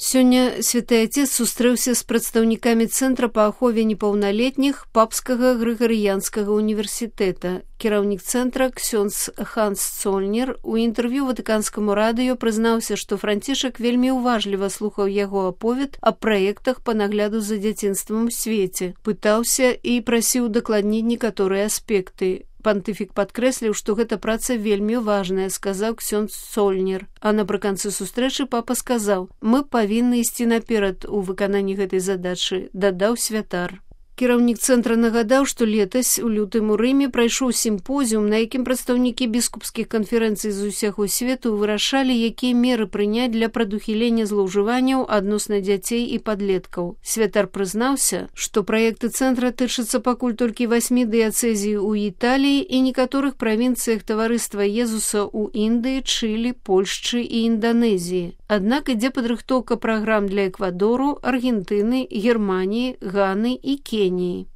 Сёння святы Отец сустрэўся з прадстаўнікамі Цэнтра па ахове непаўналетніх Папскага Грыгарыянскага універсітэта. Кіраўнік цэнтра ксёндз Ханс Цольнер у інтэрв'ю Ватыканскаму радыё прызнаўся, што Францішак вельмі уважліва слухаў яго аповед аб праектах па нагляду за дзяцінствам у свеце, пытаўся і прасіў удакладніць некаторыя аспекты. Пантыфік падкрэсліў, што гэта праца вельмі важная, сказаў ксёндз Цольнер. А напрыканцы сустрэчы папа сказаў: «Мы павінны ісці наперад у выкананні гэтай задачы», дадаў святар. Кіраўнік цэнтра нагадаў, што летась у лютым у Рыме прайшоў сімпозіум, на якім прадстаўнікі біскупскіх канферэнцый з усяго свету вырашалі, якія меры прыняць для прадухілення злоўжыванняў адносна дзяцей і падлеткаў. Святар прызнаўся, што праекты цэнтра тычацца пакуль толькі 8 дыяцэзій у Італіі і некаторых правінцыях таварыства Езуса ў Індыі, Чылі, Польшчы і Інданезіі. Аднак ідзе падрыхтоўка праграм для Эквадору, Аргентыны, Германіі, Ганы і Кеніі.